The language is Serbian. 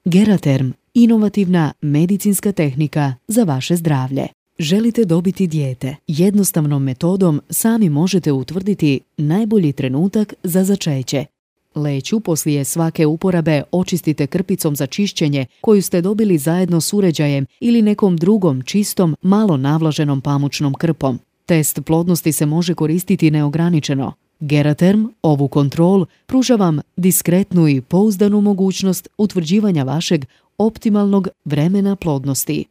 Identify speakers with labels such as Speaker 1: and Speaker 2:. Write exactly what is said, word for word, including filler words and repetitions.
Speaker 1: Geraterm, inovativna medicinska tehnika za vaše zdravlje. Želite dobiti dijete? Jednostavnom metodom sami možete utvrditi najbolji trenutak za začeće. Leću poslije svake uporabe očistite krpicom za čišćenje koju ste dobili zajedno s uređajem ili nekom drugom čistom, malo navlaženom pamučnom krpom. Test plodnosti se može koristiti neograničeno. Geraterm, ovu kontrol, pruža vam diskretnu i pouzdanu mogućnost utvrđivanja vašeg optimalnog vremena plodnosti.